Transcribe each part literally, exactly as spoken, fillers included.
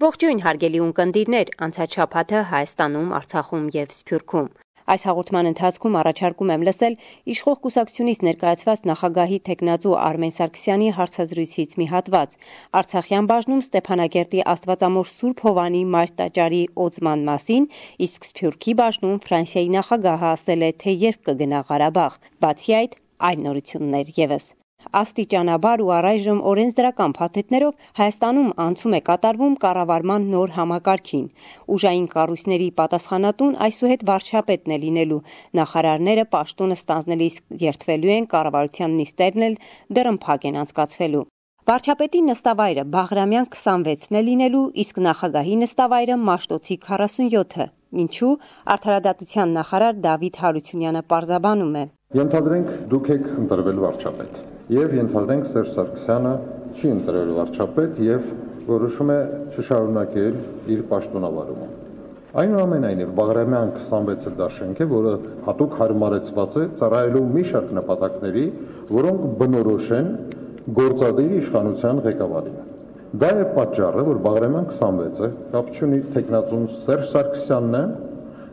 Ողջույն հարգելի ունկնդիրներ, անցած շաբաթը Հայաստանում, Արցախում և Սփյուռքում։ Այս հաղորդման ընթացքում առաջարկում եմ լսել իշխող կուսակցությունից ներկայացված նախագահի թեկնածու Արմեն Սարգսյանի հարցազրույցից մի հատված։ Արցախյան բաժնում Ստեփանագերտի Աստվածամոր Սուրբ Հովանի մայր տաճարի օծման մասին, իսկ Սփյուռքի բաժնում Ֆրանսիայի նախագահը ասել է, թե երբ կգնա Ղարաբաղ։ Բացի այդ, այլ նորություններ ևս։ Աստիճանաբար ու առայժմ օրենսդրական փաթեթներով Հայաստանում անցում է կատարվում կառավարման նոր համակարգին։ Ուժային կառույցների պատասխանատուն այսուհետ վարչապետն է լինելու։ Նախարարները պաշտոնը ստանձնելիս երդվելու են, կառավարության նիստերն էլ դռնփակ են անցկացվելու։ Վարչապետի նստավայրը Բաղրամյան քսանվեցն է լինելու, իսկ նախագահի նստավայրը Մաշտոցի քառասունյոթը։ Ինչու, Արդարադատության նախարար Դավիթ Հարությունյանը պարզաբանում է. Ենթադրենք դուք եք ընտրվել վարչապետ, եւ ենթադրենք Սերժ Սարգսյանը չի ընտրել վարչապետ եւ որոշում է չշարունակել իր պաշտոնավարումը։ Այնուամենայնիվ Բաղրամյան քսանվեցը դա շենք է, որը հատուկ հարմարեցված է ծառայելու մի շարք նպատակների, որոնք բնորոշ են գործադիր իշխանության ղեկավարին։ Դա է պատճառը, որ Բաղրամյան քսանվեցը կապ չունի թեկնածուն Սերժ Սարգսյանն է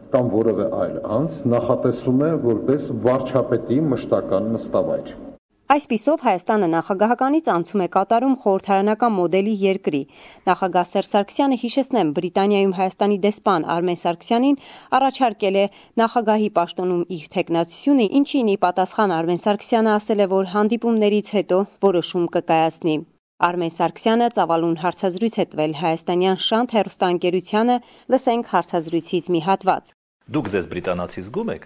կամ որևէ այլ անձ նախատեսում է որպես վարչապետի մշտական նստավայր։ Այսպիսով Հայաստանը նախագահականից անցում է կատարում խորհրդարանական մոդելի երկրի։ Նախագահ Սերժ Սարգսյանը, հիշեցնեմ, Բրիտանիայում Հայաստանի դեսպան Արմեն Սարգսյանին առաջարկել է նախագահի պաշտոնում իր թեկնածությունը, ինչին ի պատասխան Արմեն Սարգսյանը ասել է, որ հանդիպումներից հետո որոշում կկայացնի։ Արմեն Սարգսյանը ծավալուն հարցազրույց է տվել հայաստանյան Շանթ հեռուստաընկերությանը, լսենք հարցազրույցից մի հատված։ Դուք ձեզ բրիտանացի զգում եք։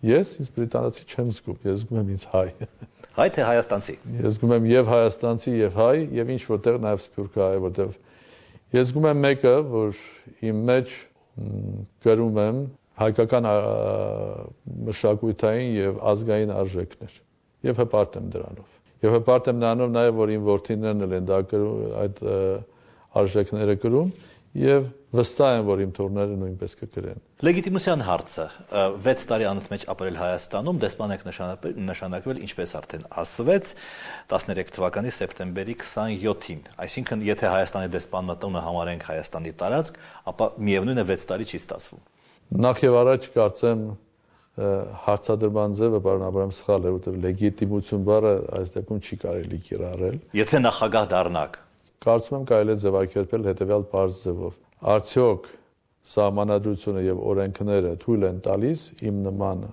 Ես ինձ բրիտանացի չեմ զգում, ես զգում եմ ինձ հայ։ Հայ թե հայաստանցի։ Ես զգում եմ եւ հայաստանցի եւ հայ եւ ինչ որտեղ նաեւ սփյուռքահայ, որտեղ ես զգում եմ մեկը, որ իմ մեջ գրում եմ հայկական մշակութային եւ ազգային արժեքներ եւ հպարտ եմ դրանով։ Եվ հպարտ եմ նրանով նաև, որ իմ որդիներն էլ են դա այդ արժեքները կրում եւ վստահ եմ, որ իմ թոռները նույնպես կկրեն։ Լեգիտիմության հարցը վեց տարի անընդմեջ ապրել Հայաստանում, դեսպան եք նշանակվել, ինչպես արդեն ասվեց, տասներեք թվականի սեպտեմբերի քսանյոթին։ Այսինքն, եթե Հայաստանի դեսպան մտունը համարենք Հայաստանի տարածք, ապա միևնույն է վեց տարի չի ստացվում։ Նախ եւ առաջ կարծեմ հարցադրման ձևը բառնաբարում սխալ է, որտեղ լեգիտիմություն բառը այս դեպքում չի կարելի կիրառել։ Եթե նախագահ դառնաք, կարծում եմ կարելի է ձևակերպել հետեւյալ բարձ ձևով. Արդյոք սահմանադրությունը եւ օրենքները թույլ են տալիս իմ նման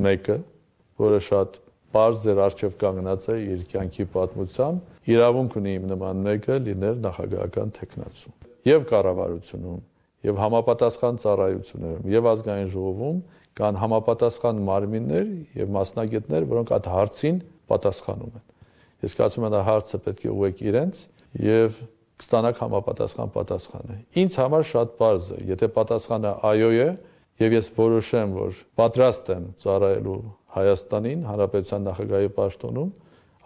մեկը, որը շատ բարձ ձեր արժեվ կանգնած է իր կյանքի պատմությամբ, իրավունք ունի իմ նման մեկը լինել նախագահական թեկնածու։ Եվ կառավարությունում, եւ համապատասխան ծառայություններում, եւ ազգային ժողովում կան համապատասխան մարմիններ եւ մասնագետներ, որոնք այդ հարցին պատասխանում են։ Ես կարծում եմ, դա հարցը պետք է ուղղեք իրենց եւ կստանաք համապատասխան պատասխանը։ Ինձ համար շատ պարզ է, եթե պատասխանը այո է եւ ես որոշեմ, որ պատրաստ եմ ծառայելու Հայաստանին, Հանրապետության նախագահի պաշտոնում,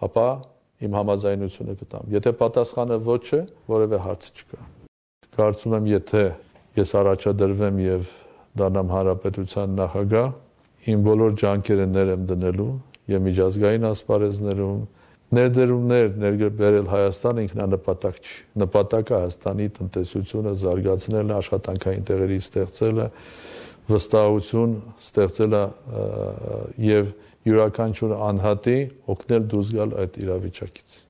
ապա իմ համաձայնությունը կտամ։ Եթե պատասխանը ոչ է, որևէ հարց չկա։ Կարծում եմ, եթե ես առաջադրվեմ եւ դառնամ Հանրապետության նախագահ, իմ բոլոր ջանքերը ներ եմ դնելու եւ միջազգային ասպարեզներում ներդրումներ ներբերել Հայաստանը ինքնանպատակ չի։ Նպատակը Հայաստանի տնտեսությունը զարգացնելը, աշխատանքային տեղերի ստեղծելը, վստահություն ստեղծելը եւ յուրաքանչյուր անհատի օգնել դուրս գալ այդ իրավիճակից։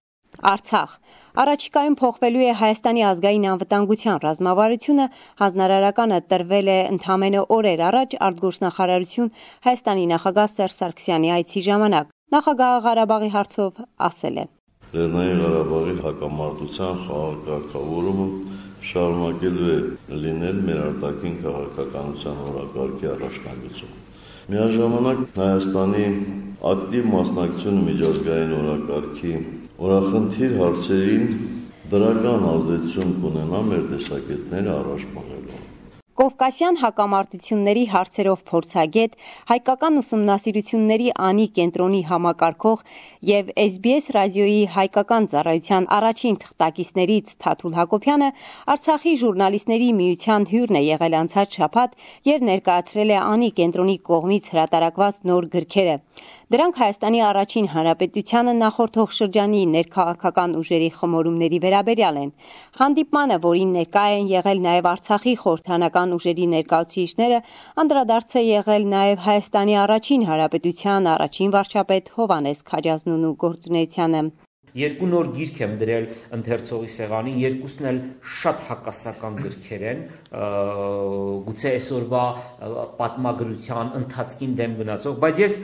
Արցախ։ Առաջիկայում փոխվելու է Հայաստանի ազգային անվտանգության ռազմավարությունը, հանձնարարականը տրվել է ընդամենը օրեր առաջ արտգործնախարարություն Հայաստանի նախագահ Սերժ Սարգսյանի այցի ժամանակ։ Նախագահը Ղարաբաղի հարցով ասել է. Լեռնային Ղարաբաղի հակամարտության խաղակարգավորումը շարունակելու է լինել մեր արտաքին քաղաքականության օրակարգի առաջնագծում։ Միաժամանակ Հայաստանի ակտիվ մասնակցությունը միջազգային օրակարգի օրախնդիր հարցերին դրական ազդեցություն կունենա մեր տեսակետները առաջ մղելու։ Կովկասյան հակամարտությունների հարցերով փորձագետ, հայկական ուսումնասիրությունների անի կենտրոնի համակարգող եւ էս բի էս ռադիոյի հայկական ծառայության առաջին թղթակիցներից Թաթուլ Հակոբյանը Արցախի ժուրնալիստների միության հյուրն է եղել անցած շաբաթ եւ ներկայացրել է անի կենտրոնի կողմից հրատարակված նոր գրքերը։ Դրանք Հայաստանի առաջին հանրապետությանը նախորդող շրջանի ներքաղաքական ուժերի խմորումների վերաբերյալ են։ Հանդիպմանը, որին ներկա են եղել նաեւ Արցախի խորհրդանական ուժերի ներկայացուցիչները, անդրադարձ է եղել նաեւ Հայաստանի առաջին հանրապետության առաջին վարչապետ Հովհաննես Քաջազնունու գործունեությանը։ Երկու նոր գիրք եմ դրել ընթերցողի սեղանին, երկուսն էլ շատ հակասական գրքեր են, գուցե այսօրվա պատմագրության ընթացքին դեմ գնացող, բայց ես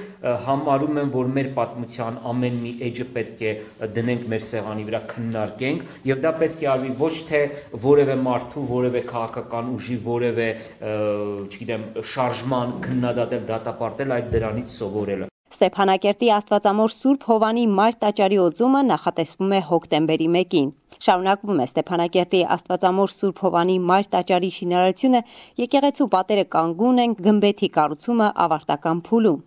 համարում եմ, որ մեր պատմության ամեն մի էջը պետք է դնենք մեր սեղանի վրա, քննարկենք, եւ դա պետք է արվի ոչ թե որևէ մարդու, որևէ քաղաքական ուժի, որևէ, չգիտեմ, շարժման քննադատել, դատապարտել, այլ դրանից սովորելը։ Ստեփանակերտի Աստվածամոր Սուրբ Հովանի Մայր տաճարի օծումը նախատեսվում է հոկտեմբերի մեկին։ Շարունակվում է Ստեփանակերտի Աստվածամոր Սուրբ Հովանի Մայր տաճարի շինարարությունը, եկեղեցու պատերը կանգուն են, գմբեթի կառուցումը ավարտական փուլում։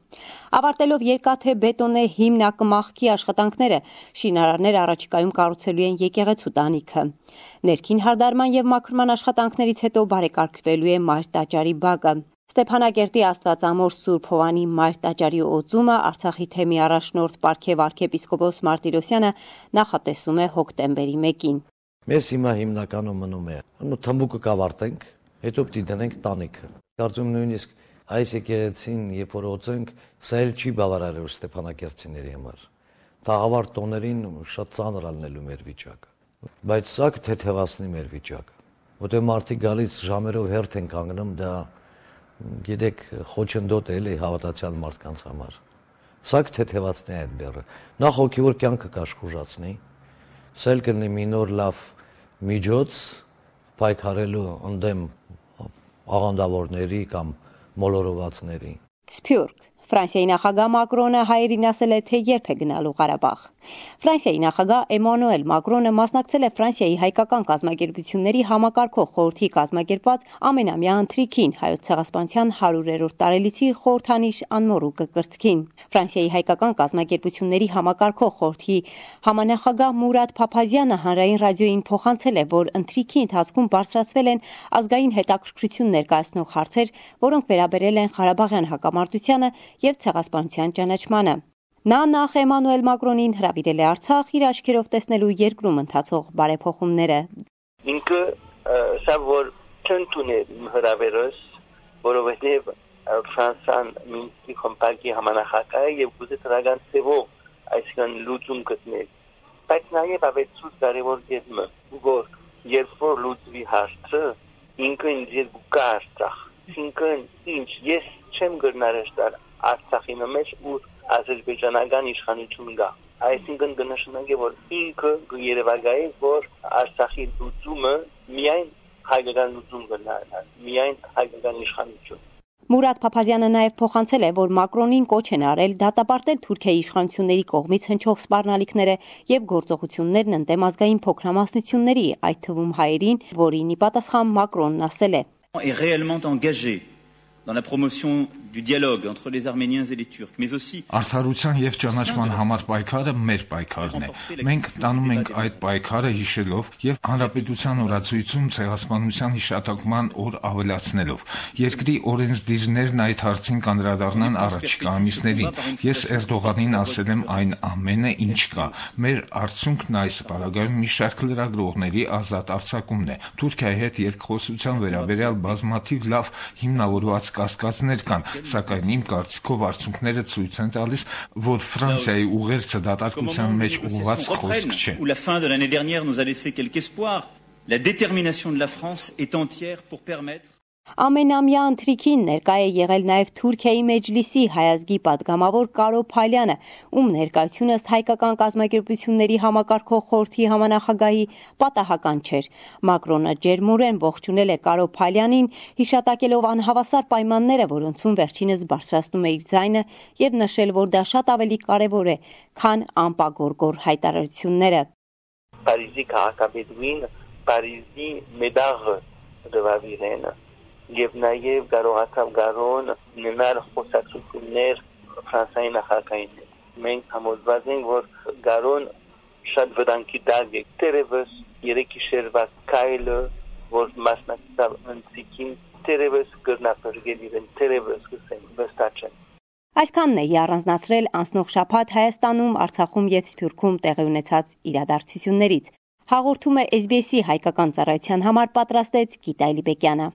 Ավարտելով երկաթե բետոնե հիմնակմախքի աշխատանքները, շինարարները առաջիկայում կառուցելու են եկեղեցու տանիքը։ Ներքին հարդարման եւ մաքրման աշխատանքներից հետո բարեկարգվելու է Մայր տաճարի բակը։ Ստեփանակերտի Աստվածամոր Սուրբ Հովանի Մայր տաճարի օծումը Արցախի թեմի առաջնորդ Պարքև arczepiskopos Մարտիրոսյանը նախատեսում է հոկտեմբերի մեկին։ Մեզ հիմա հիմնականում մնում է ու թմբուկը կավարտենք, հետո պիտի դնենք տանիքը։ Կարծում նույնիսկ այս եկեղեցին, երբ որ օծենք, սա էլ չի բավարարելու ստեփանակերտցիների համար։ Տաղավար տոներին շատ ծանր ալնելու մեր վիճակը, բայց սա կթեթևացնի մեր վիճակը, որտեղ մարդիկ գալիս ժամերով հերթ են կանգնում, դա գիտեք, խոչընդոտ է էլի հավատացյալ մարդկանց համար։ Սա կթեթևացնի այդ բեռը։ Նախ հոգևոր կյանքը կաշխուժացնի, սա էլ կլինի մի նոր լավ միջոց պայքարելու ընդդեմ աղանդավորների կամ մոլորվածների։ Սփյուռք Ֆրանսիայի նախագահ Մակրոնը հայերին ասել է, թե երբ է գնալու Ղարաբաղ։ Ֆրանսիայի նախագահ Էմանուել Մակրոնը մասնակցել է Ֆրանսիայի հայկական կազմակերպությունների համակարգող խորհրդի կազմակերպված ամենամյա ընթրիքին հայոց ցեղասպանության հարյուրերորդ տարելիցի խորհրդանիշ անմոռուկը կրծքին։ Ֆրանսիայի հայկական կազմակերպությունների համակարգող խորհրդի համանախագահ Մուրադ Փափազյանը հանրային ռադիոյին փոխանցել է, որ ընթրիքի ընթացքում բարձրացվել են ազգային հետաքրքրություն ներկայացնող հարցեր, որոնք վերաբերել են Ղարաբաղյան հակամարտությանը եւ ցեղասպանության ճանաչմանը։ Նա նախ Էմանուել Մակրոնին հրավիրել է Արցախ իր աչքերով տեսնելու երկրում ընթացող բարեփոխումները։ Ինքը սա որ չընդուն է հրավերս, որովհետեւ Ֆրանսիան Մինսկի կոմպակտի համանախագահ է եւ ուզի դրական ծևով այսքան լուծում գտնել։ Բայց նաեւ ավետցուց կարևոր գետնը, որ երբ որ լուծվի հարցը, ինքը ինձ գուկա Արցախ, ինքն ինչ ես չեմ գտնարել Արցախի մեջ ու ազերբայջանական իշխանություն կա։ Այսինքն կնշանակի, որ ինքը երևակայի, որ Արցախի լուծումը միայն հայկական լուծում կնա, միայն հայկական իշխանություն։ Մուրադ Փափազյանը նաև փոխանցել է, որ Մակրոնին կոչ են արել դատապարտել Թուրքիայի իշխանությունների կողմից հնչող սպառնալիքները եւ գործողություններն ընդդեմ ազգային փոքրամասնությունների, այդ թվում հայերին, որին ի պատասխան Մակրոնն ասել է. est réellement engagé dans la promotion du dialogue entre les Arméniens et les Turcs, mais aussi Արդարության եւ ճանաչման համար պայքարը մեր պայքարն է։ Մենք տանում ենք այդ պայքարը հիշելով եւ հանրապետության օրացույցում ցեղասպանության հիշատակման օր ավելացնելով։ Երկրի օրենսդիրներն այդ հարցին կանդրադառնան առաջիկա ամիսներին։ Ես Էրդողանին ասել եմ այն ամենը, ինչ կա։ Մեր արդյունքն այս պարագայում մի շարք լրագրողների ազատ արձակումն է։ Թուրքիայի հետ երկխոսության վերաբերյալ բազմաթիվ լավ հիմնավորված կասկածներ կան, սակայն իմ կարծիքով արդյունքները ցույց են տալիս, որ Ֆրանսիայի ուղերձը դատարկության մեջ ուղղված խոսք չէ։ Où la fin de l'année dernière nous a laissé quelques espoirs, la détermination de la France est entière pour permettre Ամենամյա ընթրիքին ներկա է եղել նաև Թուրքիայի մեջլիսի հայազգի պատգամավոր Կարո Փալյանը, ում ներկայությունը հայկական կազմակերպությունների համակարգող խորհրդի համանախագահի պատահական չէր։ Մակրոնը ջերմորեն ողջունել է Կարո Փալյանին, հիշատակելով անհավասար պայմանները, որոնցում վերջինս բարձրացնում է իր ձայնը եւ նշել, որ դա շատ ավելի կարեւոր է, քան անպագորգոր հայտարարությունները։ Փարիզի քաղաքապետին Փարիզի մեդաղը դվավիրեն եւ նաեւ կարողացավ Գարոն ունենալ խոսակցություններ Ֆրանսիայի նախագահին։ Մենք համոզված ենք, որ Գարոն շատ վտանգի տակ է։ Տերևս երեք գիշերվա քայլը, որ մասնակցավ ընթրիքին, տերևս կրնապրգել իրեն, տերևս կսեն վստահ։ Այսքանն է առանձնացրել անցնող շաբաթ Հայաստանում, Արցախում եւ Սփյուռքում տեղի ունեցած իրադարձություններից։ Հաղորդումը էս բի էսի հայկական ծառայության համար պատրաստեց Գիտա Էլիբեկյանը։